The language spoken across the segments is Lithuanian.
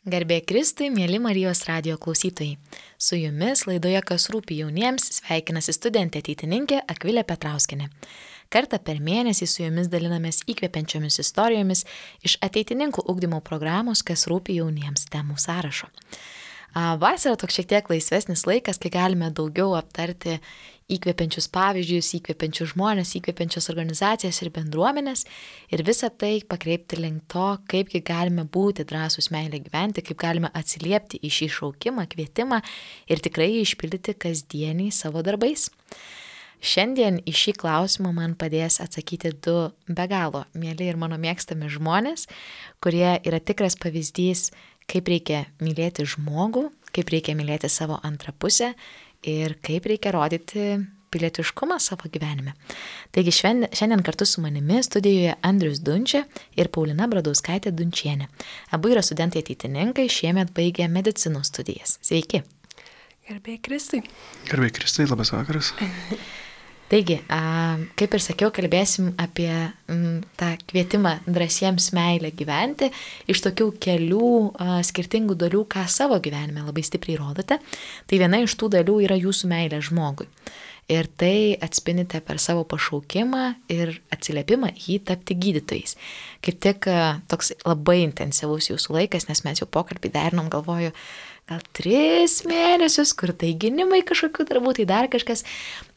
Garbė Kristui, mėly Marijos radijo klausytojai. Su jumis laidoje Kas rūpi jauniems sveikinasi studentė ateitininkė Akvilė Petrauskienė. Kartą per mėnesį su jumis dalinamės įkvepiančiomis istorijomis iš ateitininkų ugdymo programos Kas rūpi jauniems temų sąrašo. Vasara toks šiek tiek laisvesnis laikas, kai galime daugiau aptarti įkvepiančius pavyzdžius, įkvepiančius žmonės, įkvepiančias organizacijas ir bendruomenės ir visą tai pakreipti link to, kaipgi galime būti drąsūs meilę gyventi, kaip galime atsiliepti į šį šaukimą, kvietimą ir tikrai jį išpildyti kasdieniai savo darbais. Šiandien į šį klausimą man padės atsakyti du be galo mieli ir mano mėgstami žmonės, kurie yra tikras pavyzdys, kaip reikia mylėti žmogų, kaip reikia mylėti savo antrą pusę ir kaip reikia rodyti pilietiškumą savo gyvenime. Taigi šiandien kartu su manimi studijoje Andrius Dunčia ir Paulina Bradauskaitė Dunčienė. Abu yra studentai ateitininkai, šiemet baigė medicinos studijas. Sveiki. Garbė Kristai. Garbė Kristai, labas vakaras. Taigi, kaip ir sakiau, kalbėsim apie tą kvietimą drąsiems meilę gyventi iš tokių kelių skirtingų dalių, ką savo gyvenime labai stipriai rodote. Tai viena iš tų dalių yra jūsų meilė žmogui. Ir tai atspindite per savo pašaukimą ir atsiliepimą jį tapti gydytojais. Kaip tik toks labai intensyvus jūsų laikas, nes mes jau pokalbį derinom, galvoju, gal 3 mėnesius, kur tai gynimai kažkokių darbų, tai dar kažkas.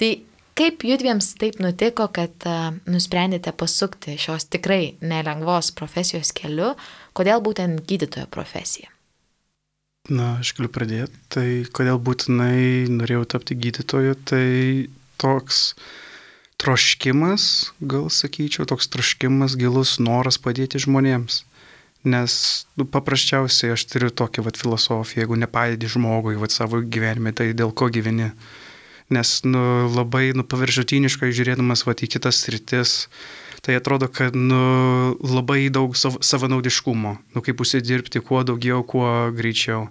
Tai kaip judviems taip nutiko, kad nusprendėte pasukti šios tikrai nelengvos profesijos keliu, kodėl būtent gydytojo profesija? Na, aš galiu pradėti. Tai kodėl būtinai norėjau tapti gydytoju, tai toks troškimas, gal sakyčiau, toks troškimas, gilus noras padėti žmonėms. Nes paprasčiausiai aš turiu tokią filosofiją, jeigu nepadedi žmogui savo gyvenime, tai dėl ko gyveni. Nes labai paviršutiniškai žiūrėdamas į kitas sritis, tai atrodo, kad labai daug savanaudiškumo, kaip užsidirbti kuo daugiau, kuo greičiau.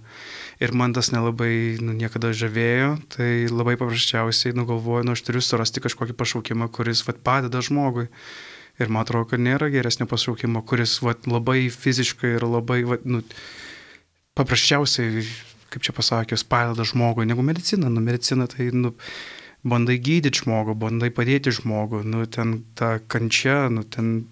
Ir man tas nelabai niekada žavėjo, tai labai paprasčiausiai galvoju, aš turiu surasti kažkokį pašaukimą, kuris padeda žmogui. Ir man atrodo, kad nėra geresnio pašaukimo, kuris labai fiziškai ir labai paprasčiausiai, kaip čia pasakius, padeda žmogui, negu medicina. Medicina tai bandai gydyti žmogų, bandai padėti žmogų, ten ta kančia, ten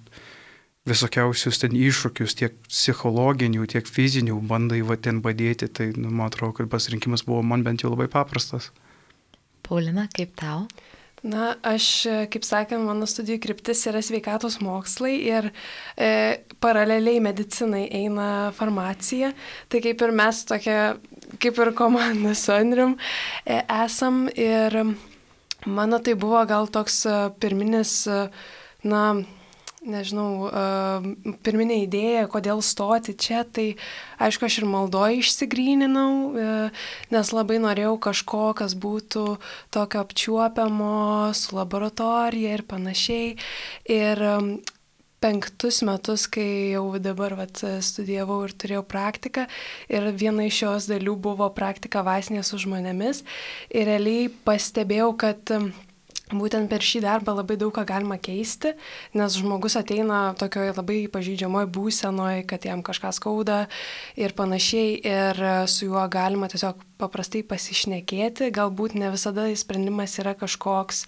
visokiausius ten iššūkius, tiek psichologinių, tiek fizinių, bandai ten padėti, tai man atrodo, kad pasirinkimas buvo man bent jau labai paprastas. Paulina, kaip tau? Na, aš, kaip sakant, mano studijų kryptis yra sveikatos mokslai ir paraleliai medicinai eina farmacija. Tai kaip ir mes tokia, kaip ir komanda su Andrium esam ir mano tai buvo gal toks pirminis, pirminė idėja, kodėl stoti čia, tai aišku, aš ir maldoje išsigryninau, nes labai norėjau kažko, kas būtų tokio apčiuopiamo su laboratorija ir panašiai. Ir 5 metus, kai jau dabar studijavau ir turėjau praktiką, ir viena iš šios dalių buvo praktika vaistinėje su žmonėmis. Ir realiai pastebėjau, kad būtent per šį darbą labai daug ką galima keisti, nes žmogus ateina tokioje labai pažeidžiamoje būsenoje, kad jam kažką skauda ir panašiai, ir su juo galima tiesiog paprastai pasišnekėti, galbūt ne visada sprendimas yra kažkoks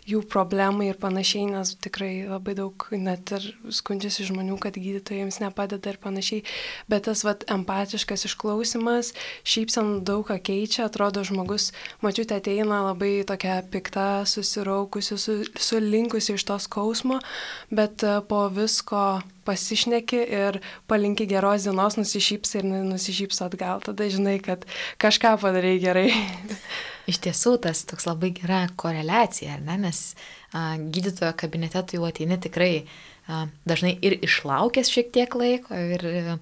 jų problemai ir panašiai, nes tikrai labai daug net ir skundžiasi žmonių, kad gydytojams nepadeda ir panašiai, bet tas empatiškas išklausimas, šypsena daug ką keičia, atrodo žmogus, mačiute, ateina labai tokia pikta, susiraukusi, sulinkusi iš to skausmo, bet po visko pasišneki ir palinki geros dienos, nusišypsi ir nusišypsi atgal. Tada žinai, kad kažką padarai gerai. Iš tiesų, tas toks labai gera koreliacija, ar ne? Nes gydytojo kabinete tu jau ateini tikrai dažnai ir išlaukęs šiek tiek laiko ir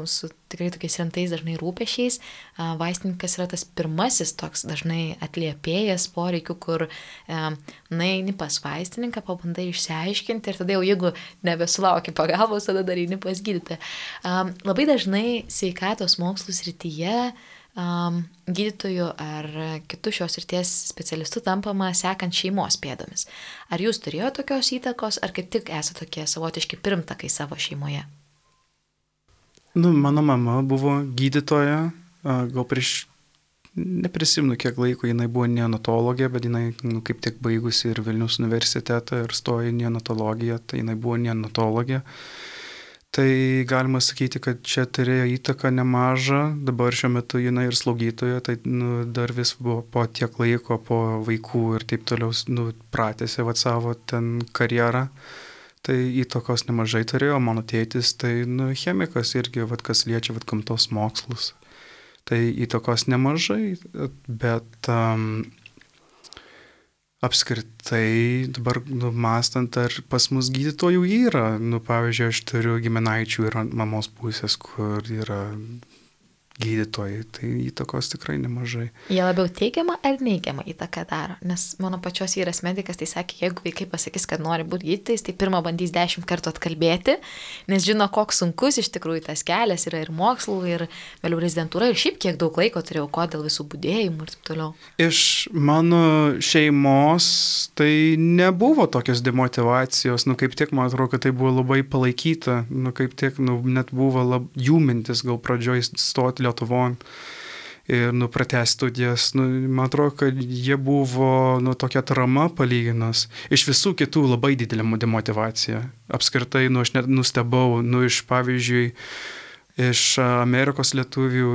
su tikrai tokiais rimtais dažnai rūpešiais. Vaistininkas yra tas pirmasis toks dažnai atliepėjas poreikių, kur eini pas vaistininką, pabandai išsiaiškinti ir tada jau jeigu nebesulauki pagalbos, tada dar eini pas gydytoją. Labai dažnai sveikatos mokslų srityje gydytojų ar kitų šios srities specialistų tampama sekant šeimos pėdomis. Ar jūs turėjote tokios įtakos, ar kaip tik esate tokie savotiški pirmtakai savo šeimoje? Nu, mano mama buvo gydytoja, gal neprisimenu kiek laiko, jinai buvo neonatologė, bet jinai kaip tik baigusi ir Vilniaus universitetą ir stojo į neonatologiją, tai jinai buvo neonatologė. Tai galima sakyti, kad čia turėjo įtaką nemažą, dabar šiuo metu jinai ir slaugytoja, tai dar vis buvo po tiek laiko, po vaikų ir taip toliau pratėsi savo ten karjerą. Tai įtakos nemažai turėjo, mano tėtis tai chemikas irgi, kas liečia gamtos mokslus. Tai įtakos nemažai, bet apskritai dabar mąstant, ar pas mus gydytojų yra. Pavyzdžiui, aš turiu giminaičių ir ant mamos pusės, kur yra gydytojai, tai įtakos tikrai nemažai. Jie labiau teigiamą ar neigiamą įtaką daro? Nes mano pačios vyras medikas, tai sakė, jeigu vaikai pasakys, kad nori būti gydytojais, tai pirmą bandys 10 kartų atkalbėti, nes žino, koks sunkus iš tikrųjų tas kelias yra ir mokslų, ir vėliau rezidentūra, ir šiaip kiek daug laiko turėjau, dėl visų budėjimų ir taip toliau. Iš mano šeimos tai nebuvo tokios demotivacijos, kaip tik man atrodo, kad tai buvo labai palaikyta, kaip tik net buvo jų mintis gal pradžioj stoti Lietuvon ir pratęsti studijas. Man atrodo, kad jie buvo tokia atrama palyginus. Iš visų kitų labai didelė demotivacija. Apskritai, aš net nustebau, iš pavyzdžiui, iš Amerikos lietuvių,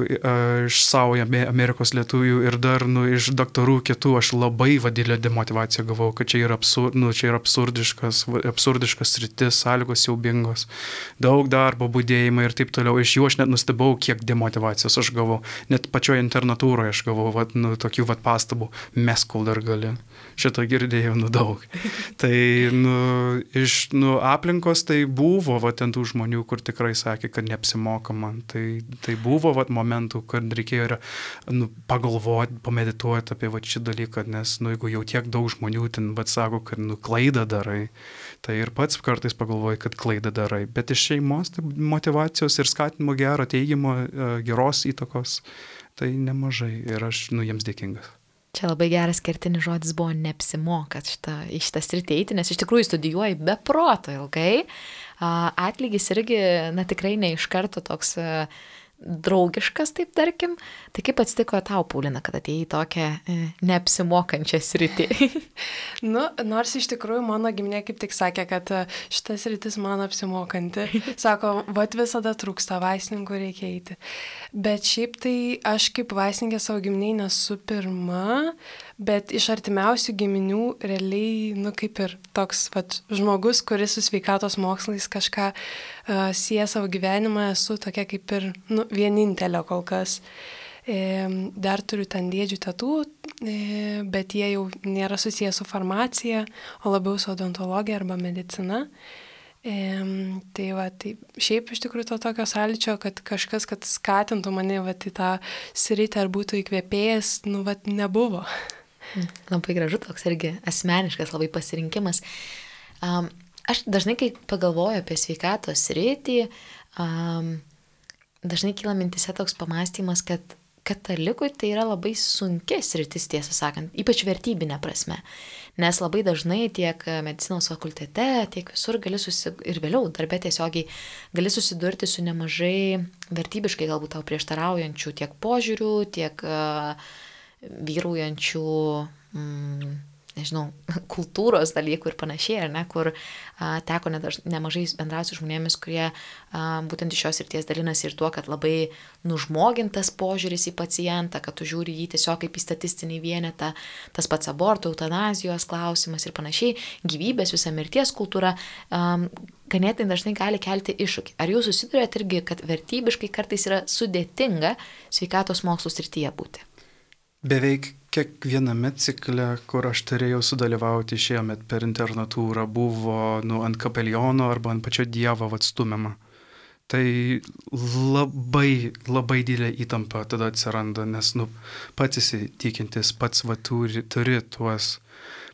iš savo Amerikos lietuvių ir dar iš daktarų kitų aš labai didelę demotivaciją gavau, kad čia yra, čia yra absurdiškas sritis, sąlygos siaubingos, daug darbo, budėjimai ir taip toliau. Iš jų aš net nustebau, kiek demotivacijos aš gavau. Net pačioje internatūroje aš gavau tokių pastabų, mes kol dar gali. Šitą girdėjau daug. Tai iš aplinkos tai buvo ten tų žmonių, kur tikrai sakė, kad neapsimoka man. Tai buvo momentų, kad reikėjo pagalvoti, pamedituoti apie šį dalyką, nes jeigu jau tiek daug žmonių ten sako, kad klaidą darai, tai ir pats kartais pagalvoji, kad klaidą darai. Bet iš šeimos tai motyvacijos ir skatinimo gero, teigiamo, geros įtakos tai nemažai ir aš jiems dėkingas. Čia labai geras kertinis žodis buvo neapsimoka į šitą sritį eiti, nes iš tikrųjų studijuoji be proto ilgai. Atlygis irgi, tikrai ne iš karto toks draugiškas, taip tarkim. Tai kaip atsitiko tau, Paulina, kad atėjai į tokią neapsimokančią sritį? Nors iš tikrųjų mano giminė kaip tik sakė, kad šitas sritis man apsimokanti. Sako, visada trūksta vaistininkų, reikia eiti. Bet šiaip tai aš kaip vaistininkė savo giminiai nesu pirma, bet iš artimiausių giminių realiai, kaip ir toks žmogus, kuris su sveikatos mokslais kažką sieja savo gyvenimą, esu tokia kaip ir vienintelė kol kas. Dar turiu ten dėdžių tetų, bet jie jau nėra susiję su farmacija, o labiau su odontologija arba medicina. Tai šiaip iš tikrųjų to tokio sąlyčio, kad kažkas, kad skatintų mane į tą sritį ar būtų įkvėpėjęs, nebuvo. Labai gražu, toks irgi asmeniškas labai pasirinkimas. Aš dažnai, kai pagalvoju apie sveikatos sritį, dažnai kyla mintise toks pamąstymas, kad katalikui tai yra labai sunki sritis, tiesą sakant, ypač vertybinė prasme. Nes labai dažnai tiek medicinos fakultete, tiek visur ir vėliau darbė tiesiogiai gali susidurti su nemažai vertybiškai galbūt tau prieštaraujančių tiek požiūrių, tiek vyraujančių, kultūros dalykų ir panašiai, ar ne, kur teko nemažai bendrauti su žmonėmis, kurie būtent iš šios srities dalinasi ir tuo, kad labai nužmogintas požiūris į pacientą, kad tu žiūri jį tiesiog kaip į statistinį vienetą, tas pats abortų, eutanazijos klausimas ir panašiai, gyvybės, visa mirties kultūra, ganėtinai dažnai gali kelti iššūkį. Ar jūs susidurėt irgi, kad vertybiškai kartais yra sudėtinga sveikatos mokslų srityje būti? Beveik kiekviename cikle, kur aš turėjau sudalyvauti šiemet per internatūrą, buvo ant kapeliono arba ant pačio Dievo atstumiama. Tai labai, labai didelė įtampa tada atsiranda, nes pats įsitikintis, pats turi tuos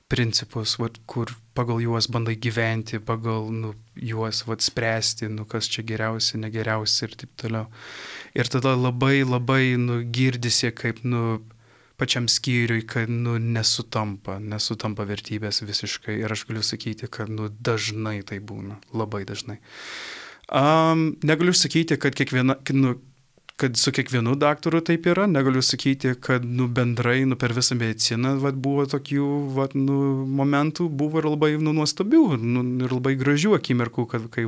principus, kur pagal juos bandai gyventi, pagal juos spręsti, kas čia geriausia, negeriausia ir taip toliau. Ir tada labai, labai girdisi, kaip pačiam skyriui, kad nesutampa vertybės visiškai. Ir aš galiu sakyti, kad dažnai tai būna, labai dažnai. Negaliu sakyti, kad kad su kiekvienu daktaru taip yra, negaliu sakyti, kad bendrai per visą mediciną buvo tokių momentų, buvo ir labai nuostabių ir labai gražių akimirkų, kai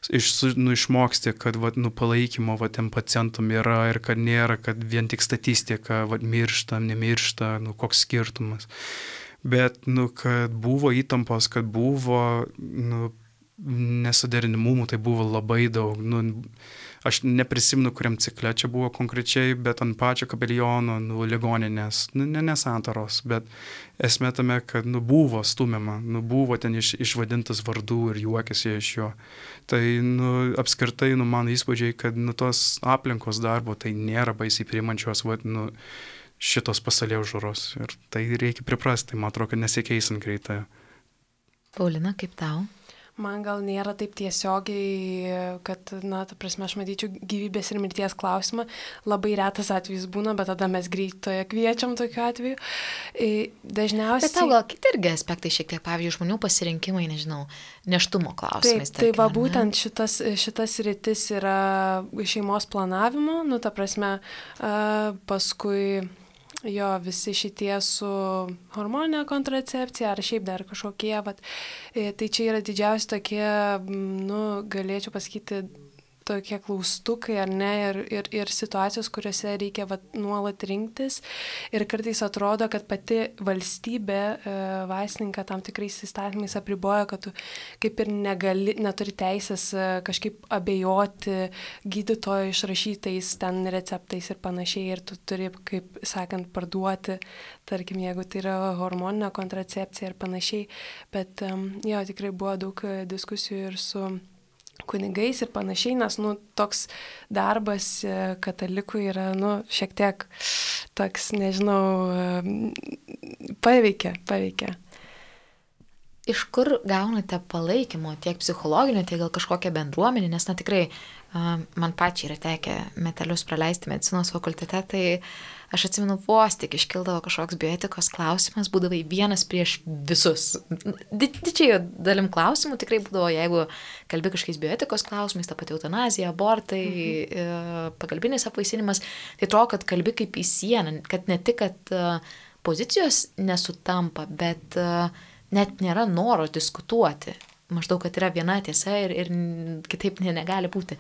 išmoksti, kad palaikymo tiem pacientam yra ir kad nėra, kad vien tik statistika miršta, nemiršta, koks skirtumas. Bet, kad buvo įtampos, kad buvo nesuderinimumų, tai buvo labai daug. Aš neprisimenu, kuriam cikle čia buvo konkrečiai, bet ant pačio kapeliono, ligoninės, ne santaros, bet esmė tame, kad buvo stumiama, buvo ten išvadintas vardų ir juokėsi iš jo. Tai apskritai mano įspūdžiai, kad tos aplinkos darbo tai nėra baisiai priimančios šitos pasaulėžiūros ir tai reikia priprasti, man atrodo, kad nesikeisant greitai. Paulina, kaip tau? Man gal nėra taip tiesiogiai, kad, ta prasme, aš matyčiau gyvybės ir mirties klausimą. Labai retas atvejis būna, bet tada mes greitoje kviečiam tokiu atveju. Dažniausiai... Bet tau gal kiti irgi aspektai šiek tiek, pavyzdžiui, žmonių pasirinkimai, nežinau, neštumo klausimais. Tai va būtent šitas rytis yra šeimos planavimo, ta prasme, paskui... Jo, visi šitie su hormoninė kontracepcija ar šiaip dar kažkokie, tai čia yra didžiausi tokie, galėčiau pasakyti, tokie klaustukai ar ne, ir situacijos, kuriuose reikia nuolat rinktis. Ir kartais atrodo, kad pati valstybė vaistininką tam tikrais įstatymais apriboja, kad tu kaip ir neturi teisės kažkaip abejoti gydytojo išrašytais ten receptais ir panašiai. Ir tu turi, kaip sakant, parduoti, tarkim, jeigu tai yra hormoninė kontracepcija ir panašiai. Bet jo, tikrai buvo daug diskusijų ir su kunigais ir panašiai, nes, toks darbas katalikų yra, šiek tiek toks, nežinau, paveikia. Iš kur gaunate palaikymo, tiek psichologinio, tiek gal kažkokią bendruomenę, nes, tikrai, man pačiai yra tekę metelius praleisti medicinos fakultete, tai aš atsimenu, vos tik iškildavo kažkoks bioetikos klausimas, būdavai vienas prieš visus. Didžiai dalim klausimų tikrai būdavo, jeigu kalbi kažkokiais bioetikos klausimais, ta pati eutanazija, abortai, pagalbinis apvaisinimas, tai atrodo, kad kalbi kaip į sieną, kad ne tik, kad pozicijos nesutampa, bet net nėra noro diskutuoti. Maždaug, kad yra viena tiesa ir kitaip negali būti.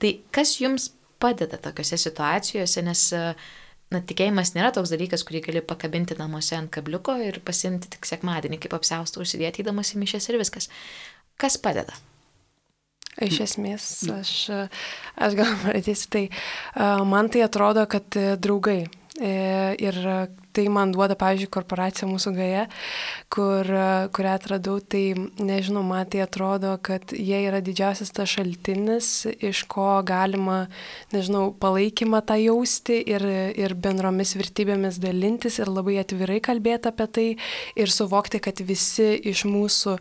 Tai kas jums padeda tokiose situacijose, nes tikėjimas nėra toks dalykas, kurį gali pakabinti namuose ant kabliuko ir pasimti tik sekmadienį, kaip apsiaustą užsidėti įdamas į mišias ir viskas. Kas padeda? Iš esmės, aš gal pradėsiu, tai man tai atrodo, kad draugai. Ir tai man duoda, pavyzdžiui, korporacija mūsų GAE, kurią atradau, tai nežinau, man tai atrodo, kad jie yra didžiausias tas šaltinis, iš ko galima, nežinau, palaikymą tą jausti ir bendromis vertybėmis dalintis ir labai atvirai kalbėti apie tai ir suvokti, kad visi iš mūsų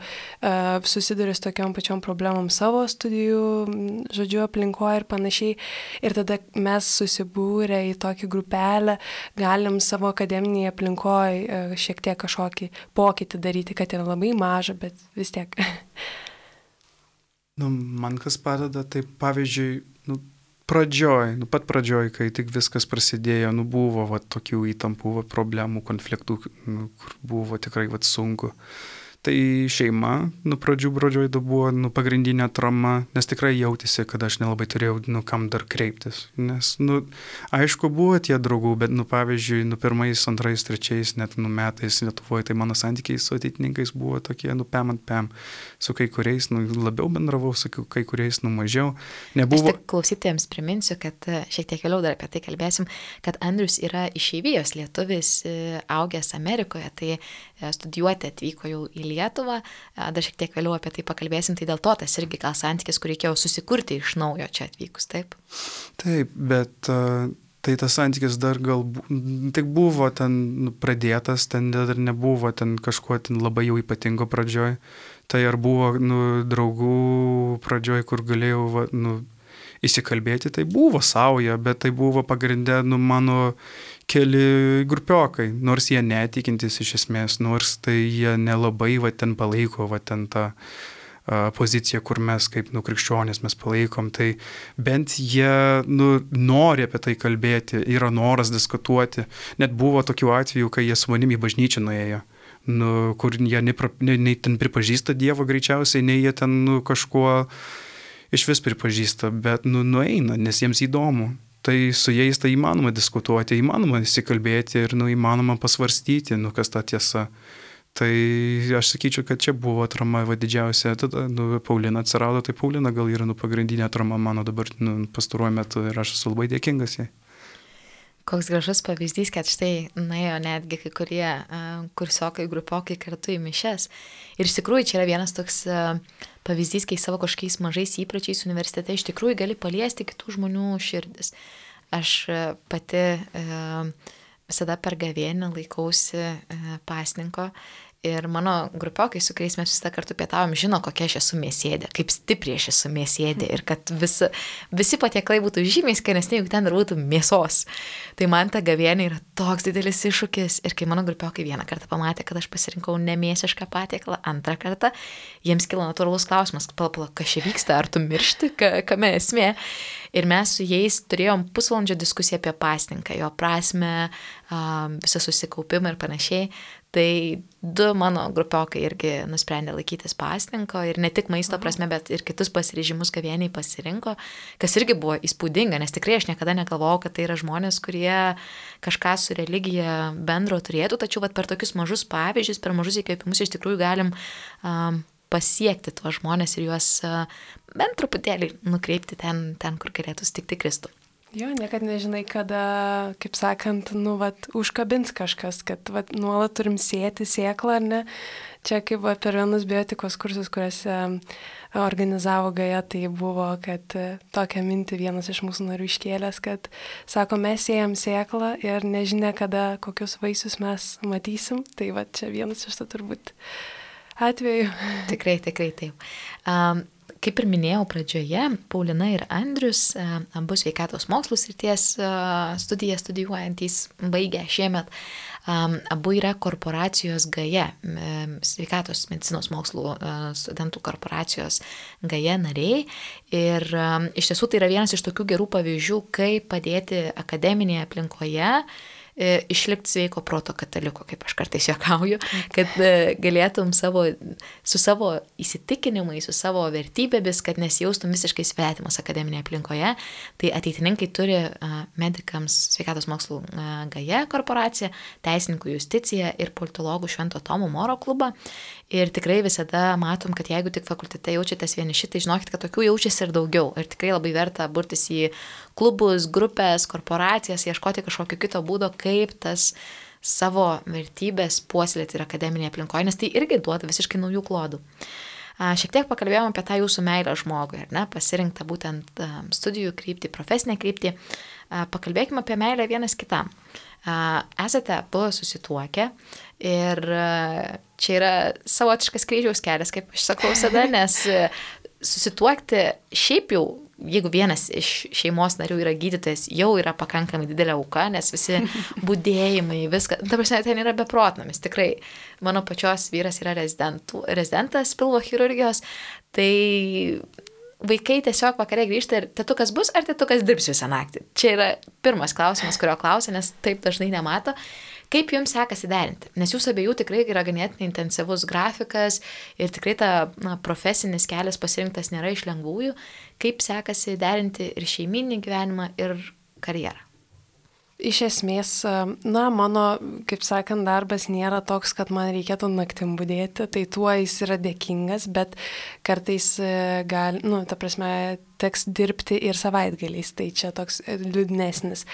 susiduria su tokiom pačiom problemom savo studijų, žodžiu, aplinkoje ir panašiai. Ir tada mes susibūrę į tokį grupelę galim savo akademinėje aplinkoje šiek tiek kažkokį pokytį daryti, kad yra labai maža, bet vis tiek. Man kas padeda, tai pavyzdžiui, pat pradžioj, kai tik viskas prasidėjo, buvo tokių įtampų, problemų, konfliktų, kur buvo tikrai sunku. Tai šeima, pradžioj buvo pagrindinė trama, nes tikrai jautėsi, kad aš nelabai turėjau, kam dar kreiptis. Nes, aišku, buvo tie draugų, bet, pavyzdžiui, pirmais, antrais, trečiais, net, metais Lietuvoje, tai mano santykiai su ateitininkais buvo tokie, pem ant pem. Su kai kuriais, labiau bendravau, su kai kuriais, mažiau. Nebuvo... Aš tik klausytojams priminsiu, kad šiek tiek vėliau dar apie tai kalbėsim, kad Andrius yra išeivijos lietuvis, augęs Amerikoje, tai studijuoti atvyko jau į Lietuvą, dar šiek tiek vėliau apie tai pakalbėsim, tai dėl to tas irgi gal santykis, kur reikėjo susikurti iš naujo čia atvykus, taip? Taip, bet tai tas santykis dar gal tik buvo ten pradėtas, ten dar nebuvo ten kažkuo ten labai jau ypatingo pradžioj, tai ar buvo draugų pradžioj, kur galėjau įsikalbėti, tai buvo sauja, bet tai buvo pagrindę mano keli grupiokai, nors jie netikintis iš esmės, nors tai jie nelabai ten palaiko ten tą poziciją, kur mes kaip krikščionės mes palaikom, tai bent jie nori apie tai kalbėti, yra noras diskutuoti. Net buvo tokių atvejų, kai jie su manim į bažnyčią nuėjo, kur jie nei ten pripažįsta Dievą greičiausiai, nei jie ten kažkuo iš vis pripažįsta, bet nueina, nes jiems įdomu. Tai su jais tai įmanoma diskutuoti, įmanoma įsikalbėti ir įmanoma pasvarstyti, kas ta tiesa. Tai aš sakyčiau, kad čia buvo atrama didžiausia. Tada Paulina atsirado, tai Paulina gal yra pagrindinė atrama mano dabar pastaruoju metu ir aš esu labai dėkingas jai. Koks gražus pavyzdys, kad štai nuėjo netgi kai kurie kursiokai, grupiokai kartu į mišias. Ir iš tikrųjų čia yra vienas toks pavyzdys, kai savo kažkokiais mažais įpročiais universitete iš tikrųjų gali paliesti kitų žmonių širdis. Aš pati visada per gavėnią laikausi pasninko ir mano grupiokai, su kuriais mes visą kartu pietavom, žino, kokia aš esu mėsėdė, kaip stipriai aš esu mėsėdė ir kad visi patiekalai būtų žymiai skanesni, jeigu ten dar būtų mėsos. Tai man ta gavėnė yra toks didelis iššūkis ir kai mano grupiokai vieną kartą pamatė, kad aš pasirinkau nemėsišką patiekalą, antrą kartą, jiems kilo natūralus klausimas, pala, kas čia vyksta, ar tu miršti, kame esmė. Ir mes su jais turėjom pusvalandžio diskusiją apie pasninką, jo prasmę, visą susikaupimą ir panašiai. Tai 2 mano grupiokai irgi nusprendė laikytis pasninko ir ne tik maisto prasme, bet ir kitus pasiryžimus gavėniai pasirinko, kas irgi buvo įspūdinga, nes tikrai aš niekada negalvojau, kad tai yra žmonės, kurie kažką su religija bendro turėtų, tačiau per tokius mažus pavyzdžius, per mažus įkvėpimus iš tikrųjų galim pasiekti tuos žmonės ir juos bent truputėlį nukreipti ten, kur galėtų sutikti Kristų. Jo, niekad nežinai, kada, kaip sakant, užkabins kažkas, kad nuolat turim sėti sėklą, ar ne? Čia kaip per vienus biotikos kursus, kuriuose organizavo Gaja, tai buvo, kad tokią mintį vienas iš mūsų narių iškėlęs, kad sako, mes sėjam sėklą ir nežinia, kada kokius vaisius mes matysim. Tai čia vienas iš to turbūt atveju. Tikrai taip. Kaip ir minėjau pradžioje, Paulina ir Andrius, abu sveikatos mokslų srities studijas studijuojantys, baigę šiemet, abu yra korporacijos Gaja, sveikatos medicinos mokslų studentų korporacijos Gaja nariai. Ir iš tiesų tai yra vienas iš tokių gerų pavyzdžių, kaip padėti akademinėje aplinkoje išlikti sveiko proto kataliku, kaip aš kartais juokauju, kad galėtum su savo įsitikinimais, su savo vertybėmis, kad nesijaustum visiškai svetimas akademinėje aplinkoje. Tai ateitininkai turi medikams sveikatos mokslų Gaja korporacija, teisininkų Justicija ir politologų Švento Tomo Moro klubą. Ir tikrai visada matom, kad jeigu tik fakultete jaučiatės vieniši, tai žinokit, kad tokių jaučiasi ir daugiau. Ir tikrai labai verta burtis į klubus, grupės, korporacijas, ieškoti kažkokio kito būdo, kaip tas savo vertybės puoselėti ir akademinėje aplinkoje, nes tai irgi duoda visiškai naujų klodų. Šiek tiek pakalbėjome apie tą jūsų meilę žmogui, ar ne, pasirinktą būtent studijų kryptį, profesinę kryptį. Pakalbėkime apie meilę vienas kitam. Esate abu susituokę ir čia yra savotiškas kryžiaus kelias, kaip aš sakau visada, nes susituokti šiaip jau, jeigu vienas iš šeimos narių yra gydytojas, jau yra pakankamai didelė auka, nes visi budėjimai, viską, ta prasme, ten yra beprotnamis, tikrai. Mano pačios vyras yra rezidentas pilvo chirurgijos, tai vaikai tiesiog vakare grįžta ir tėtukas bus ar tėtukas dirbs visą naktį? Čia yra pirmas klausimas, kurio klausia, nes taip dažnai nemato. Kaip jums sekasi derinti? Nes jūsų abiejų tikrai yra ganėtinai intensyvus grafikas ir tikrai ta profesinis kelias pasirinktas nėra iš lengvųjų. Kaip sekasi derinti ir šeiminį gyvenimą, ir karjerą? Iš esmės, mano, kaip sakant, darbas nėra toks, kad man reikėtų naktim budėti, tai tuo jis yra dėkingas, bet kartais teks dirbti ir savaitgaliais, tai čia toks liūdnesnis.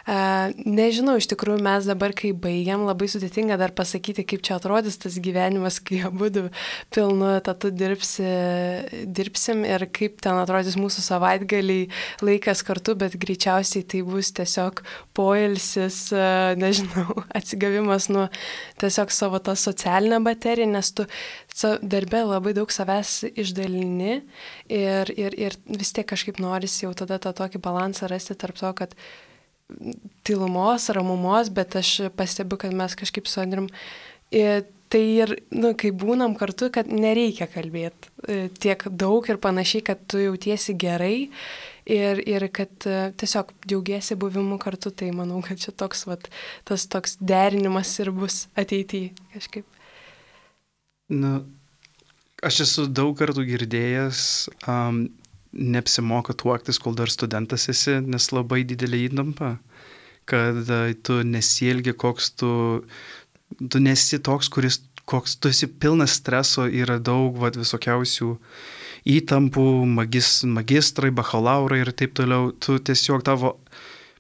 Nežinau, iš tikrųjų mes dabar, kai baigiam, labai sudėtinga dar pasakyti, kaip čia atrodys tas gyvenimas, kai abudu pilnu etatu dirbsim ir kaip ten atrodys mūsų savaitgaliai, laikas kartu, bet greičiausiai tai bus tiesiog poilsis, nežinau, atsigavimas nuo tiesiog savo tą socialinę bateriją, nes tu darbe labai daug savęs išdalini ir vis tiek kažkaip norisi jau tada tą tokį balansą rasti tarp to, kad tylumos, ramumos, bet aš pastebiu, kad mes kažkaip su Andrium tai ir, kai būnam kartu, kad nereikia kalbėti tiek daug ir panašiai, kad tu jautiesi gerai ir kad tiesiog džiaugiesi buvimu kartu, tai manau, kad čia toks, tas toks derinimas ir bus ateityje kažkaip. Aš esu daug kartų girdėjęs, neapsimoka tuoktis, kol dar studentas esi, nes labai didelė įtampa, kad tu nesielgi, koks tu nesi toks, koks tu esi pilnas streso, yra daug visokiausių įtampų, magistrai, bakhalaurai ir taip toliau. Tu tiesiog tavo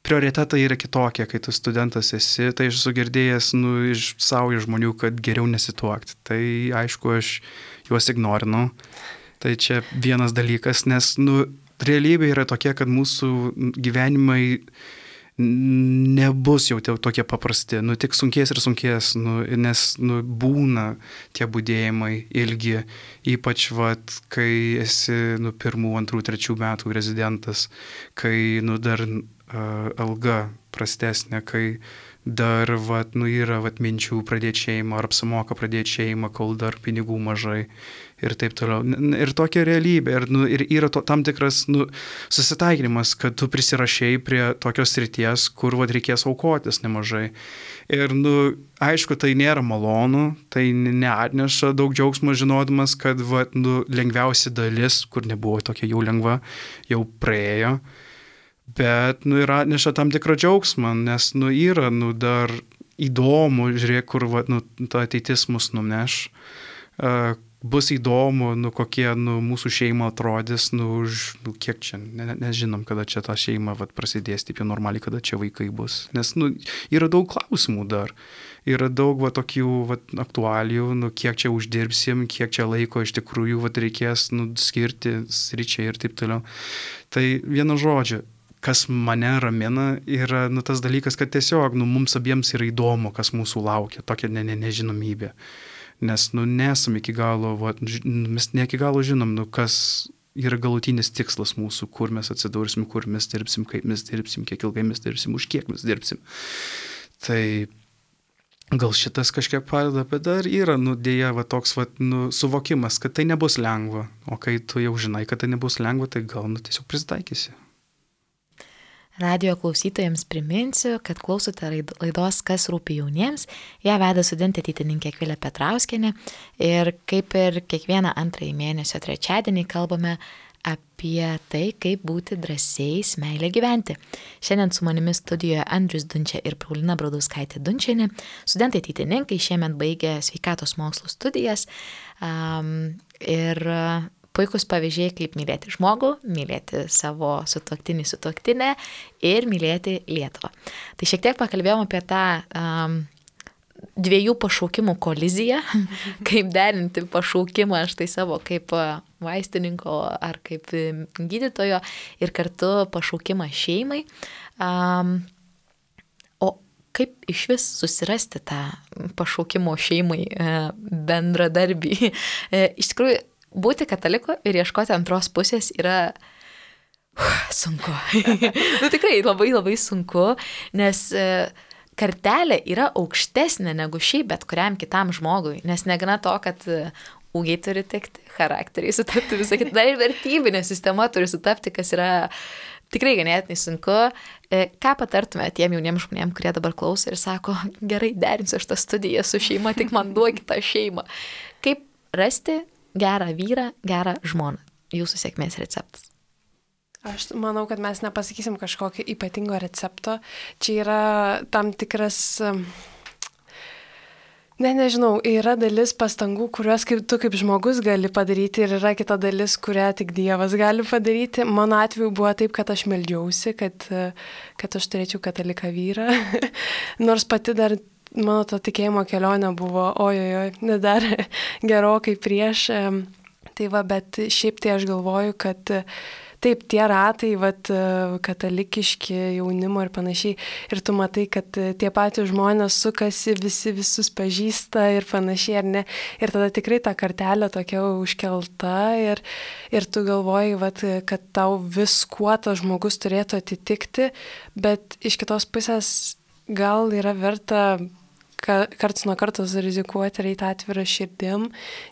prioritetai yra kitokie, kai tu studentas esi. Tai aš esu girdėjęs iš savo žmonių, kad geriau nesituokti. Tai aišku, aš juos ignorinu. Tai čia vienas dalykas, nes realybė yra tokia, kad mūsų gyvenimai nebus jau tokie paprasti, tik sunkės ir sunkės, nes būna tie budėjimai ilgi, ypač kai esi 1, 2, 3 metų rezidentas, kai dar alga prastesnė, kai dar yra minčių pradėti šeimą, ar apsimoka pradėti šeimą, kol dar pinigų mažai ir taip toliau. Ir tokia realybė, ir yra tam tikras susitaikinimas, kad tu prisirašai prie tokios srities, kur reikės aukotis nemažai. Ir aišku, tai nėra malonu, tai neatneša daug džiaugsmo žinodamas, kad lengviausia dalis, kur nebuvo tokia jau lengva, jau praėjo. Bet ir atneša tam tikrą džiaugsmą, nes yra dar įdomu, žiūrėk, kur ta ateitis mus nuneš. Bus įdomu, kokie mūsų šeima atrodys, kiek čia, nežinom, kada čia ta šeima prasidės, taip jau normaliai, kada čia vaikai bus. Nes yra daug klausimų dar. Yra daug tokių aktualijų, kiek čia uždirbsim, kiek čia laiko iš tikrųjų reikės skirti sričiai ir taip toliau. Tai vienu žodžiu, kas mane ramina, yra tas dalykas, kad tiesiog mums abiems yra įdomu, kas mūsų laukia, tokia nežinomybė. Nes nesam iki galo, mes ne iki galo žinom, kas yra galutinis tikslas mūsų, kur mes atsidursim, kur mes dirbsim, kaip mes dirbsim, kiek ilgai mes dirbsim, už kiek mes dirbsim. Tai gal šitas kažkiek padeda, bet dar yra, dėja, toks suvokimas, kad tai nebus lengva. O kai tu jau žinai, kad tai nebus lengva, tai gal tiesiog prisitaikysi. Radijo klausytojams priminsiu, kad klausote laidos Kas rūpi jauniems. Ją veda studentė ateitininkė Akvilė Petrauskienė. Ir kaip ir kiekvieną antrąjį mėnesio trečiadienį kalbame apie tai, kaip būti drąsiais meilę gyventi. Šiandien su manimi studijoje Andrius Dunčia ir Paulina Bradauskaitė Dunčienė. Studentai ateitininkai šiemet baigė sveikatos mokslų studijas. Ir puikus pavyzdžiai, kaip mylėti žmogų, mylėti savo sutuoktinį, sutuoktinę ir mylėti Lietuvą. Tai šiek tiek pakalbėjom apie tą dviejų pašaukimų koliziją, kaip derinti pašaukimą štai savo kaip vaistininko ar kaip gydytojo ir kartu pašaukimą šeimai. O kaip išvis susirasti tą pašaukimo šeimai bendradarbį? Iš tikrųjų, būti kataliku ir ieškoti antros pusės yra sunku. Tikrai labai labai sunku, nes kartelė yra aukštesnė negu šiaip bet kuriam kitam žmogui, nes negana to, kad ūgiai turi tikti, charakteriai sutapti, visą kitą, dar ir vertybinė sistema turi sutapti, kas yra tikrai ganėtinai sunku. Ką patartume tiem jauniems žmonėms, kurie dabar klauso ir sako, gerai, derinsiu aš tą studiją su šeima, tik man duokit tą šeimą. Kaip rasti gerą vyrą, gerą žmoną? Jūsų sėkmės receptas. Aš manau, kad mes nepasakysim kažkokio ypatingo recepto. Čia yra tam tikras, nežinau, yra dalis pastangų, kuriuos tu kaip žmogus gali padaryti ir yra kita dalis, kurią tik Dievas gali padaryti. Mano atveju buvo taip, kad aš meldžiausi, kad aš turėčiau kataliką vyrą. Nors pati dar mano to tikėjimo kelionė buvo, dar gerokai prieš. Tai bet šiaip tai aš galvoju, kad taip, tie ratai, katalikiški jaunimo ir panašiai, ir tu matai, kad tie patys žmonės sukasi, visus pažįsta ir panašiai, ar ne, ir tada tikrai ta kartelė tokia užkelta ir tu galvoji, kad tau viskuo tas žmogus turėtų atitikti, bet iš kitos pusės gal yra verta karts nuo kartos rizikuoti ir eiti atvirą širdim,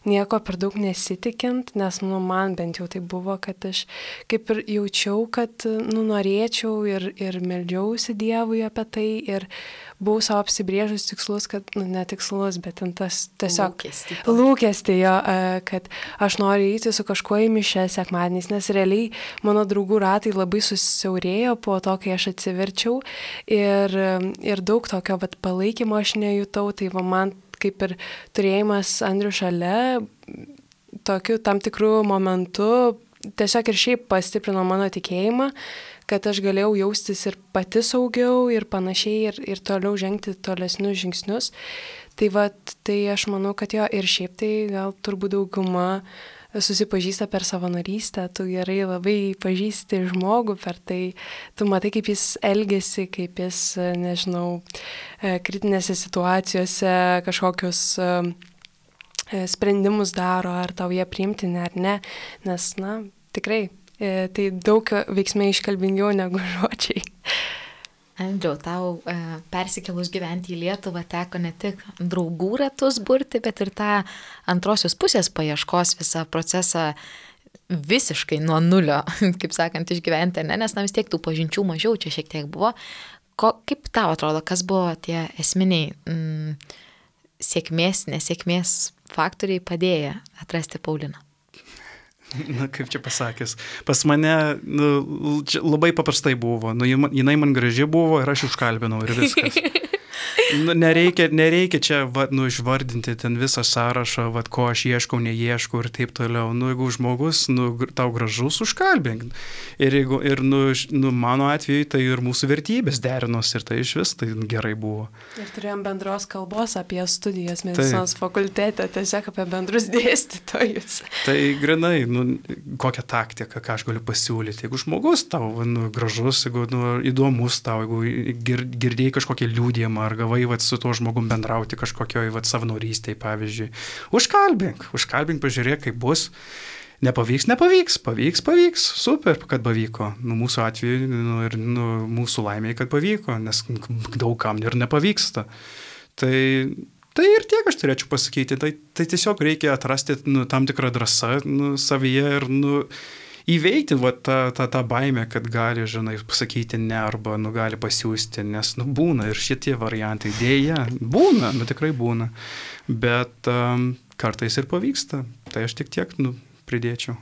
nieko per daug nesitikint, nes man bent jau tai buvo, kad aš kaip ir jaučiau, kad norėčiau ir meldžiausi Dievui apie tai ir buvau savo apsibrėžus tikslus, kad, ne tikslus, bet tas tiesiog lūkestį jo, kad aš noriu eiti su kažkuo į mišias sekmadieniais, nes realiai mano draugų ratai labai susiaurėjo po to, kai aš atsiverčiau ir daug tokio palaikymo aš nejutau, tai man kaip ir turėjimas Andrių šalia, tokiu tam tikrų momentų, tiesiog ir šiaip pastiprino mano tikėjimą, kad aš galėjau jaustis ir pati saugiau ir panašiai ir toliau žengti tolesnius žingsnius. Tai aš manau, kad jo ir šiaip tai gal turbūt dauguma susipažįsta per savanorystę, tu gerai labai pažįsti žmogų per tai, tu matai, kaip jis elgesi, kaip jis, nežinau, kritinėse situacijose kažkokius sprendimus daro, ar tau jie priimtini ar ne, nes, tikrai, tai daug veiksmai iškalbingiau negu žodžiai. Andriau, tau persikėlus gyventi į Lietuvą teko ne tik draugų ratus burti, bet ir tą antrosios pusės paieškos visą procesą visiškai nuo nulio, kaip sakant, išgyventi, ne? Nes vis tiek tų pažinčių mažiau čia šiek tiek buvo. Kaip tau atrodo, kas buvo tie esminiai sėkmės, nesėkmės faktoriai padėję atrasti Pauliną? Kaip čia pasakęs, pas mane labai paprastai buvo, jinai man graži buvo ir aš užkalbinau ir viskas. Nereikia čia išvardinti ten visą sąrašą, ko aš ieškau, neieškau ir taip toliau. Jeigu žmogus tau gražus, užkalbink. Ir mano atveju tai ir mūsų vertybės derinos ir tai iš vis tai gerai buvo. Ir turėjom bendros kalbos apie studijas medicinos fakultete, tiesiog apie bendrus dėstytojus. Tai grinai, kokią taktiką, ką aš galiu pasiūlyti. Jeigu žmogus tau gražus, jeigu įdomus tau, jeigu girdėjai kažkokį liūdėjimą ar gavai su tuo žmogum bendrauti kažkokioj savanorystėj, pavyzdžiui. Užkalbink, pažiūrėk, kaip bus. Pavyks, super, kad pavyko. Mūsų atveju ir mūsų laimėje, kad pavyko, nes daugam ir nepavyksta. Tai ir tiek aš turėčiau pasakyti. Tai tiesiog reikia atrasti tam tikrą drąsą savyje ir įveikti tą baimę, kad gali, pasakyti ne arba gali pasiūsti, nes būna ir šitie variantai. Dėja, būna, tikrai būna, bet kartais ir pavyksta. Tai aš tiek pridėčiau.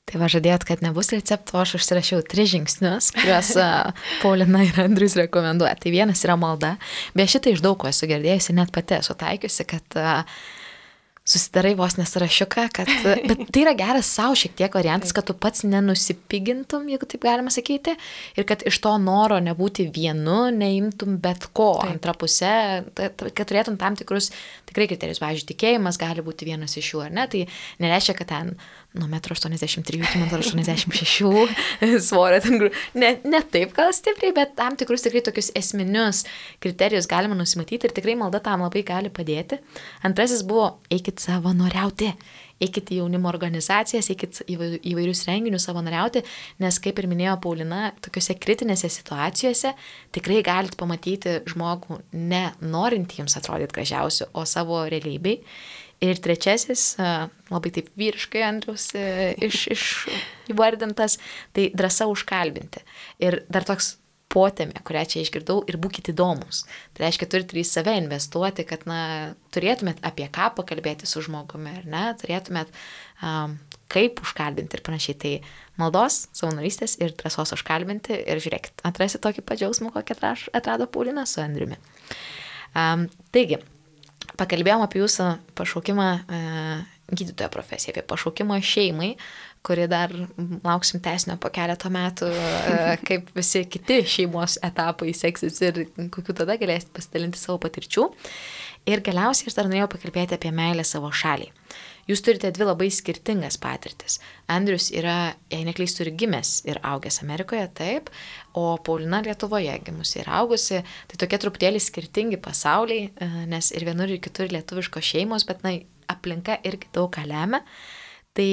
Tai žadėjot, kad nebus recepto, aš užsirašiau 3 žingsnius, kuriuos Paulina ir Andrius rekomenduoja. Tai vienas yra malda, bet šitą iš daug ko esu girdėjusi, net pati esu taikiusi, kad susidarai vos nesarašiuką, bet tai yra geras savo šiek tiek variantas, kad tu pats nenusipigintum, jeigu taip galima sakyti, ir kad iš to noro nebūti vienu, neimtum bet ko. Antra pusė, kad turėtum tam tikrus tikrai kriterijus. Pavyzdžiui, tikėjimas gali būti vienas iš jų, ar ne? Tai nereiškia, kad ten nuo 1,83 iki 1,86 svorio. Ne taip gal stipriai, bet tam tikrus tikrai tokius esminius kriterijus galima nusimatyti ir tikrai malda tam labai gali padėti. Antrasis buvo, eikit savanoriauti. Eikit į jaunimo organizacijas, eikit įvairius renginius savanoriauti, nes, kaip ir minėjo Paulina, tokiuose kritinėse situacijose tikrai galit pamatyti žmogų ne norintį jums atrodyti gražiausiu, o savo realybei. Ir trečiasis, labai taip vyriškai Andriaus įvardintas, tai drąsa užkalbinti. Ir dar toks potėmė, kurią čia išgirdau, ir būkite įdomus. Tai reiškia, turite į save investuoti, kad turėtumėt apie ką pakalbėti su žmogumi, ar ne, turėtumėt kaip užkalbinti ir panašiai. Tai maldos, savanorystės ir drąsos užkalbinti ir žiūrėkit, atrasi tokį padžiausmą, kokį atrado Paulina su Andriumi. Taigi, pakalbėjom apie jūsų pašaukimą gydytojo profesiją, apie pašaukimą šeimai, kuri dar lauksim tęsinio po keletą metų, kaip visi kiti šeimos etapai seksis ir kokiu tada galėsit pasidalinti savo patirčių. Ir galiausiai aš dar norėjau pakalbėti apie meilę savo šaliai. Jūs turite 2 labai skirtingas patirtis. Andrius yra, jei neklystu, ir gimęs ir augęs Amerikoje, taip, o Paulina Lietuvoje gimusi ir augusi. Tai tokie truputėlį skirtingi pasauliai, nes ir vienur ir kitur lietuviškos šeimos, bet aplinka irgi daug ką lemia. Tai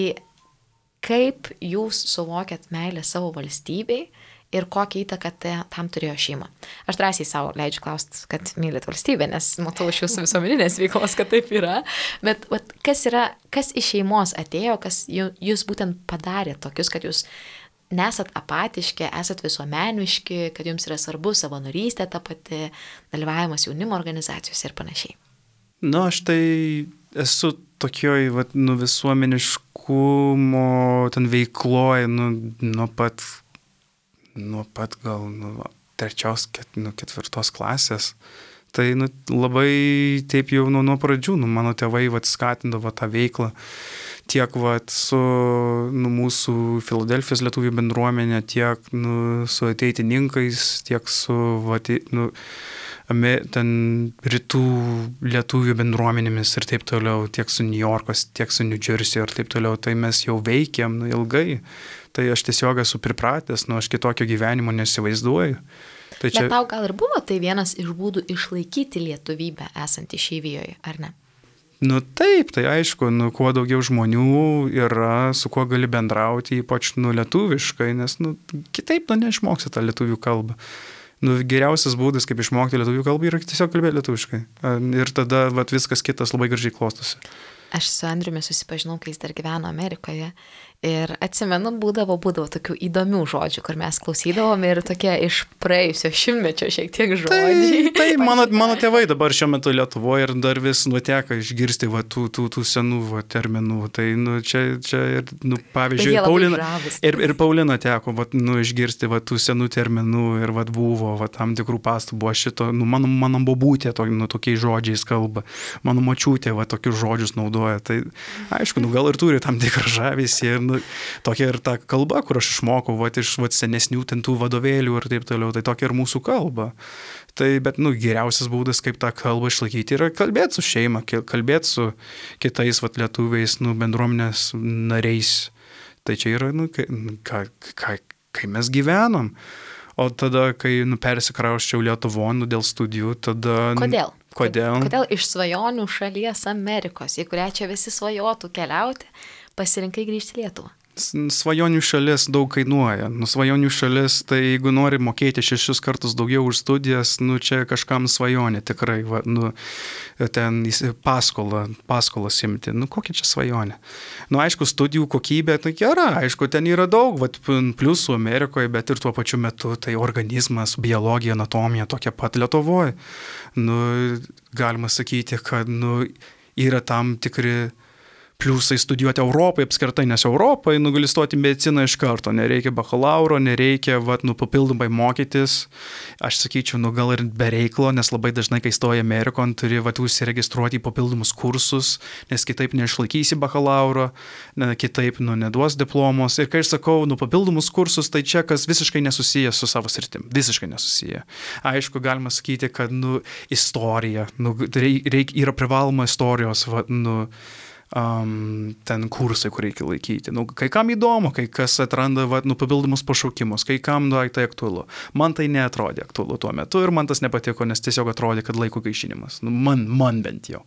kaip jūs suvokiat meilę savo valstybei ir kokią įtaką tam turėjo šeima. Aš drąsiai savo leidžiu klausti, kad mylit valstybę, nes matau iš jūsų visuomeninės veiklos, kad taip yra. Bet kas iš šeimos atėjo, kas jūs būtent padarė tokius, kad jūs nesat apatiški, esat visuomeniški, kad jums yra svarbu savanorystė, ta pati dalyvavimas jaunimo organizacijose ir panašiai. Aš tai esu tokioj visuomeniškumo ten veikloj, nuo pat gal 3-4 klasės. Tai labai taip jau nuo pradžių, mano tėvai skatindavo tą veiklą. Tiek su mūsų Filadelfijos lietuvių bendruomenė, tiek su ateitininkais, tiek su ten rytų lietuvių bendruomenėmis ir taip toliau, tiek su New Yorkas, tiek su New Jersey ir taip toliau. Tai mes jau veikiam ilgai. Tai aš tiesiog esu pripratęs, aš kitokio gyvenimo nesivaizduoju. Tai Bet tau gal ir buvo tai vienas iš būdų išlaikyti lietuvybę esant išeivijoje, ar ne? Taip, tai aišku, kuo daugiau žmonių yra, su kuo gali bendrauti, ypač lietuviškai, nes kitaip neišmoksi tą lietuvių kalbą. Geriausias būdas, kaip išmokti lietuvių kalbą, yra tiesiog kalbėti lietuviškai. Ir tada viskas kitas labai gražiai klostosi. Aš su Andriumi susipažinau, kai jis dar gyveno Amerikoje. Ir atsimenu, būdavo tokių įdomių žodžių, kur mes klausydavome ir tokie iš praėjusio šimtmečio šiek tiek žodžiai. Tai mano tėvai dabar šiuo metu Lietuvoje ir dar vis nuteka išgirsti tų senų terminų. Tai čia ir, pavyzdžiui, Paulina teko išgirsti tų senų terminų ir buvo tam tikrų pastabų. Aš šito, mano bobutė tokiais žodžiais kalba, mano močiutė tokius žodžius naudoja. Tai aišku, gal ir turi tam tikrą žavesį ir tokia ir ta kalba, kur aš išmokau iš senesnių tų vadovėlių ir taip toliau, tai tokia ir mūsų kalba. Tai, bet, geriausias būdas, kaip tą kalbą išlaikyti, yra kalbėti su šeima, kalbėti su kitais lietuviais, bendruomenės nariais. Tai čia yra, kai mes gyvenom. O tada, kai persikrausčiau Lietuvon dėl studijų, tada... Kodėl? Kodėl iš svajonių šalies Amerikos, į kurią čia visi svajotų keliauti, pasirinkai grįžti į Lietuvą? Svajonių šalis daug kainuoja. Svajonių šalis, tai jeigu nori mokėti 6 kartus daugiau už studijas, čia kažkam svajonė tikrai, ten paskolas imti. Kokia čia svajonė? Aišku, studijų kokybė, tai gera, aišku, ten yra daug, pliusų Amerikoje, bet ir tuo pačiu metu, tai organizmas, biologija, anatomija tokia pat Lietuvoje. Galima sakyti, kad, yra tam tikri pliusai studijuoti Europoje apskritai, nes Europoje gali stoti mediciną iš karto, nereikia bakalauro, nereikia papildomai mokytis. Aš sakyčiau, gal ir be reiklo, nes labai dažnai, kai stoji Amerikon, turi užsiregistruoti į papildomus kursus, nes kitaip neišlaikysi bakalauro, kitaip neduos diplomos. Ir kai aš sakau, papildomus kursus, tai čia kas visiškai nesusiję su savo sritim, visiškai nesusiję. Aišku, galima sakyti, kad istorija, yra privaloma istorijos, ten kursai, kur reikia laikyti. Kai kam įdomu, kai kas atranda papildomus pašaukimus, kai kam tai aktualu. Man tai neatrodė aktualu tuo metu ir man tas nepatiko, nes tiesiog atrodė, kad laiko gaišinimas. Man bent jau.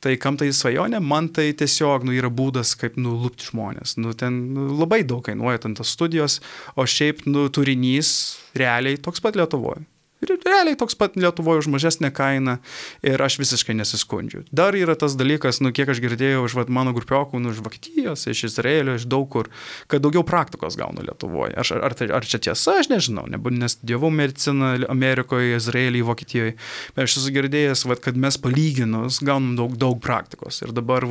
Tai kam tai svajonė, man tai tiesiog yra būdas, kaip lupti žmonės. Ten labai daug kainuoja ten tas studijos, o šiaip turinys realiai toks pat Lietuvoje. Realiai toks pat Lietuvoje už mažesnę kainą ir aš visiškai nesiskundžiu. Dar yra tas dalykas, kiek aš girdėjau iš mano grupiokų, iš Vokietijos, iš Izraelio, iš daug kur, kad daugiau praktikos gaunu Lietuvoje. Ar čia tiesa, aš nežinau, nes studijavau mediciną Amerikoje, Izraelyje, Vokietijoje, bet aš esu girdėjęs, kad mes palyginus gaunam daug praktikos. Ir dabar,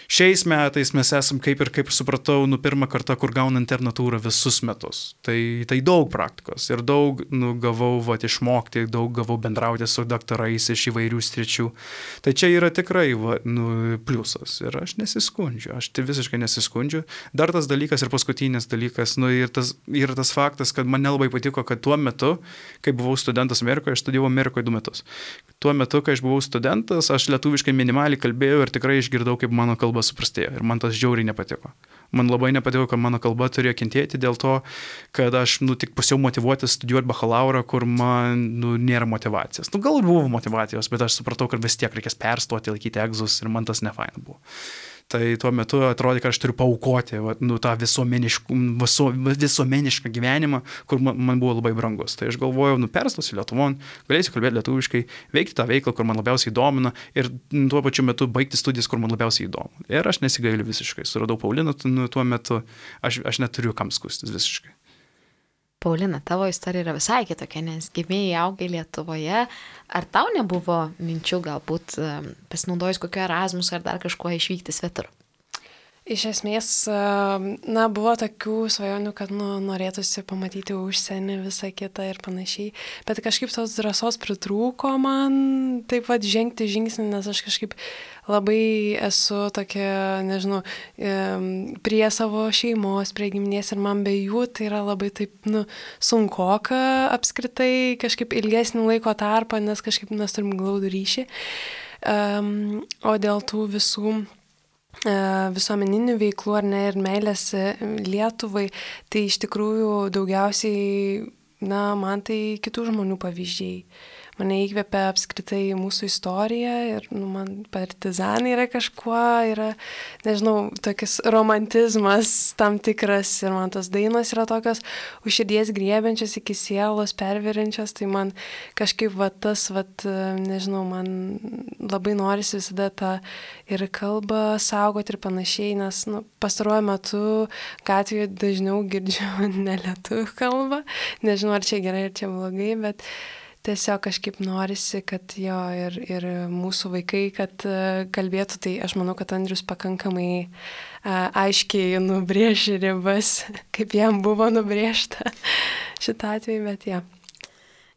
šiais metais mes esam, kaip supratau, pirmą kartą, kur gauna internatūrą visus metus. Tai daug praktikos ir daug gavau išmokti, daug gavau bendrauti su daktarais iš įvairių sričių. Tai čia yra tikrai pliusas ir aš nesiskundžiu, aš visiškai nesiskundžiu. Dar tas dalykas ir paskutinis dalykas, yra tas faktas, kad man nelabai patiko, kad tuo metu, kai buvau studentas Amerikoje, aš studijavau Amerikoje 2 metus. Tuo metu, kai aš buvau studentas, aš lietuviškai minimaliai kalbėjau ir tikrai išgirdau, kaip mano kalba suprastėjo. Ir man tas žiauriai nepatiko. Man labai nepatiko, kad mano kalba turėjo kentėti dėl to, kad aš tik pusiau motyvuotis studijuoti bakalaurą, kur man nėra motyvacijos. Gal buvo motyvacijos, bet aš supratau, kad vis tiek reikės perstoti, laikyti egzus ir man tas nefaina buvo. Tai tuo metu atrodė, kad aš turiu paaukoti tą visuomenišką gyvenimą, kur man buvo labai brangus. Tai aš galvojau, perstosiu Lietuvon, galėsiu kalbėti lietuviškai, veikti tą veiklą, kur man labiausiai domina ir tuo pačiu metu baigti studijas, kur man labiausiai įdomu. Ir aš nesigailiu visiškai. Suradau Pauliną tuo metu, aš neturiu kam skustis visiškai. Paulina, tavo istorija yra visai kitokia, nes gimėjai, augai Lietuvoje. Ar tau nebuvo minčių galbūt pasinaudojus kokio Erasmus ar dar kažkuo išvykti svetur? Iš esmės, buvo tokių svajonių, kad norėtųsi pamatyti užsienį, visą kitą ir panašiai, bet kažkaip tos drąsos pritrūko man taip pat žengti žingsnį, nes aš kažkaip labai esu tokia, nežinau, prie savo šeimos, prie giminės ir man be jų tai yra labai taip, sunkoka apskritai kažkaip ilgesnį laiko tarpą, nes kažkaip mes turim glaudų ryšį. O dėl tų visų visuomeninių veiklų ar ne ir meilės Lietuvai, tai iš tikrųjų daugiausiai, man tai kitų žmonių pavyzdžiai. Mane įkvepia apskritai mūsų istorija ir man partizanai yra kažkuo, nežinau, tokis romantizmas tam tikras ir man tos dainos yra tokios už širdies griebiančios iki sielos perveriančios, tai man kažkaip nežinau, man labai norisi visada tą ir kalbą saugoti ir panašiai, nes pastaruoju metu gatvėje dažniau girdžiu ne lietuvių kalbą, nežinau ar čia gerai ar čia blogai, bet tiesiog kažkaip norisi, kad jo ir mūsų vaikai, kad kalbėtų, tai aš manau, kad Andrius pakankamai aiškiai nubrėžė ribas, kaip jam buvo nubrėžta šitą atveju, bet jo.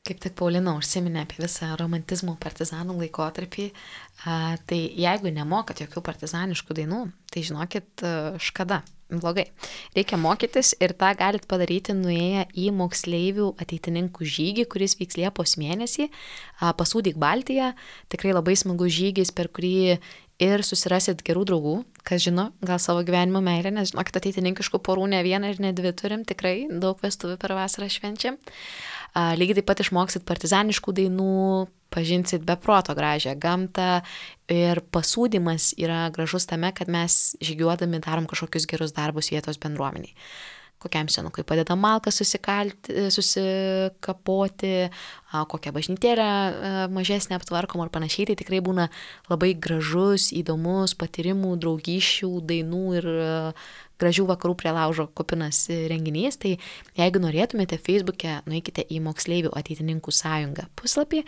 Kaip tik Paulina užsiminė apie visą romantizmo partizanų laikotarpį, tai jeigu nemokat jokių partizaniškų dainų, tai žinokit, škada. Blogai. Reikia mokytis ir tą galit padaryti nuėję į moksleivių ateitininkų žygį, kuris vyks Liepos mėnesį, Pasūdyk Baltiją. Tikrai labai smagus žygis, per kurį ir susirasit gerų draugų, kas žino, gal savo gyvenimo meilę, nes žinokit, ateitininkiškų porų ne vieną ir ne dvi turim, tikrai daug vestuvių per vasarą švenčiam. Lygiai taip pat išmoksit partizaniškų dainų, pažinsit be proto gražią gamtą ir pasūdymas yra gražus tame, kad mes žygiuodami darom kažkokius gerus darbus vietos bendruomeniai. Kokiam senukui padeda malką susikapoti, kokią bažnytėlę mažesnę aptvarkom ar panašiai, tai tikrai būna labai gražus, įdomus patyrimų, draugysčių, dainų ir gražių vakarų prie laužo kupinas renginys. Tai jeigu norėtumėte Facebook'e, nueikite į Moksleivių ateitininkų sąjungą puslapį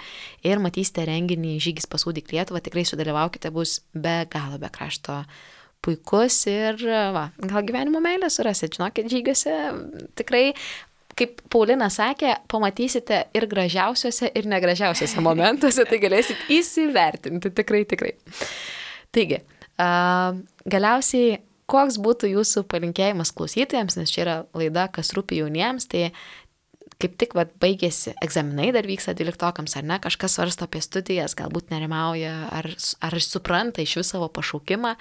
ir matysite renginį Žygis Pasūdyk Lietuvą, tikrai sudalyvaukite, bus be galo be krašto puikus ir gal gyvenimo meilę surasit, žinokit, žygiuose tikrai, kaip Paulina sakė, pamatysite ir gražiausiuose, ir negražiausiuose momentuose, tai galėsit įsivertinti, tikrai. Taigi, galiausiai, koks būtų jūsų palinkėjimas klausytojams, nes čia yra laida, kas rūpi jauniems, tai kaip tik baigėsi egzaminai, dar vyksta 12-okams, ar ne, kažkas svarsto apie studijas, galbūt nerimauja, ar supranta iš vis savo pašaukimą,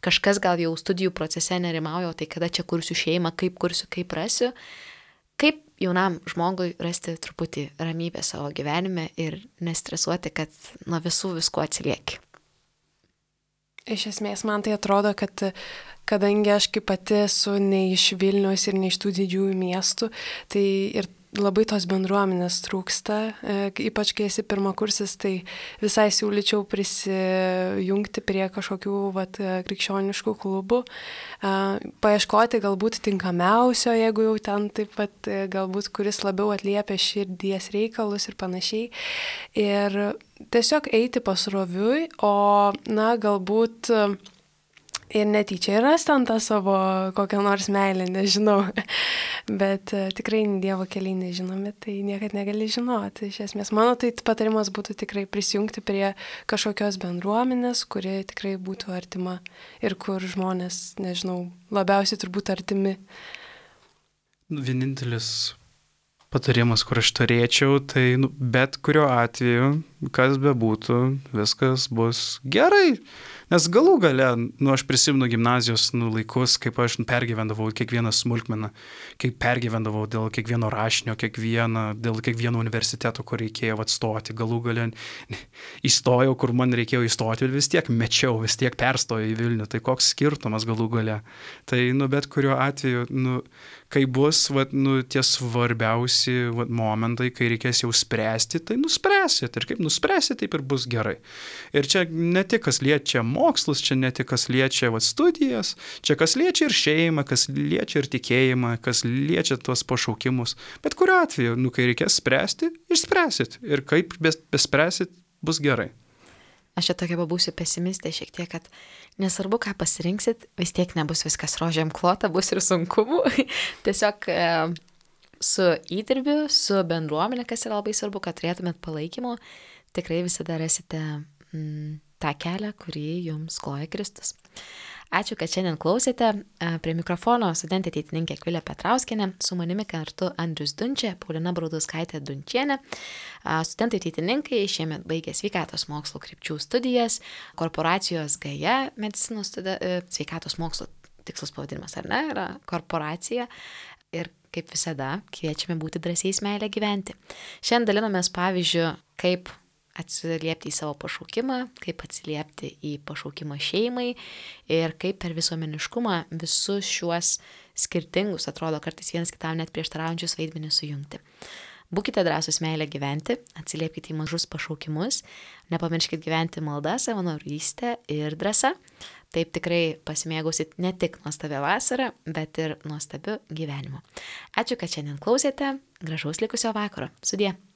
kažkas gal jau studijų procese nerimauja, tai kada čia kursiu šeimą, kaip kursiu, kaip rasiu. Kaip jaunam žmogui rasti truputį ramybę savo gyvenime ir nestresuoti, kad nuo visko atsilieki? Iš esmės, man tai atrodo, kad kadangi aš kaip pati esu ne iš Vilniaus ir ne iš tų didžiųjų miestų, tai ir labai tos bendruomenės trūksta, ypač kai esi pirmakursis, tai visai siūlyčiau prisijungti prie kažkokių krikščioniškų klubų, paieškoti galbūt tinkamiausio, jeigu jau ten taip pat galbūt kuris labiau atliepia širdies reikalus ir panašiai. Ir tiesiog eiti pasroviui, o galbūt ir netyčia ras ten tą savo kokią nors meilę, nežinau. Bet tikrai Dievo keliai nežinomi, tai niekad negali žinoti. Iš esmės, mano tai patarimas būtų tikrai prisijungti prie kažkokios bendruomenės, kuri tikrai būtų artima ir kur žmonės, nežinau, labiausiai turbūt artimi. Vienintelis patarimas, kur aš turėčiau, tai bet kuriuo atveju, kas bebūtų, viskas bus gerai. Nes galų gale, aš prisimenu gimnazijos laikus, kaip aš pergyvendavau kiekvieną smulkmeną, kaip pergyvendavau dėl kiekvieno rašinio, dėl kiekvieno universiteto, kur reikėjo atstoti. Galų gale įstojau, kur man reikėjo įstoti ir vis tiek mečiau, vis tiek perstojau į Vilnių. Tai koks skirtumas galų gale. Tai, bet kuriuo atveju, kai bus, tie svarbiausi momentai, kai reikės jau spręsti, tai nuspręsit. Ir kaip nuspręsit, taip ir bus gerai. Ir čia ne tik kas liečia mokslus, čia ne tik kas liečia studijas, čia kas liečia ir šeimą, kas liečia ir tikėjimą, kas liečia tuos pašaukimus. Bet kuriuo atveju, kai reikės spręsti, išspręsit. Ir kaip bespręsit, bus gerai. Aš čia tokia pabūsiu pesimistė šiek tiek, kad nesvarbu, ką pasirinksit, vis tiek nebus viskas rožėm klota, bus ir sunkumų. Tiesiog su įdirbiu, su bendruomenė, kas yra labai svarbu, kad turėtumėt palaikymo, tikrai visada rasite tą kelią, kurį jums kloja Kristus. Ačiū, kad šiandien klausėte. Prie mikrofono studentė ateitininkė Akvilė Petrauskienė, su manimi kartu Andrius Dunčia, Paulina Braudauskaitė Dunčienė. Studentai ateitininkai šiemet baigė sveikatos mokslo krypčių studijas, korporacijos Gaja medicinos sveikatos mokslo tikslas pavadinimas, ar ne, yra korporacija. Ir kaip visada, kviečiame būti drąsiais meilę gyventi. Šiandien dalinomės pavyzdžiu, kaip atsiliepti į savo pašaukimą, kaip atsiliepti į pašaukimą šeimai ir kaip per visuomeniškumą visus šiuos skirtingus, atrodo kartais vienas kitam net prieštaraujančius vaidmenis sujungti. Būkite drąsūs meilę gyventi, atsiliepkite į mažus pašaukimus, nepamirškite gyventi maldą, savanorystę ir drąsą. Taip tikrai pasimėgausit ne tik nuostabią vasarą, bet ir nuostabiu gyvenimu. Ačiū, kad šiandien klausėte. Gražaus likusio vakaro. Sudie.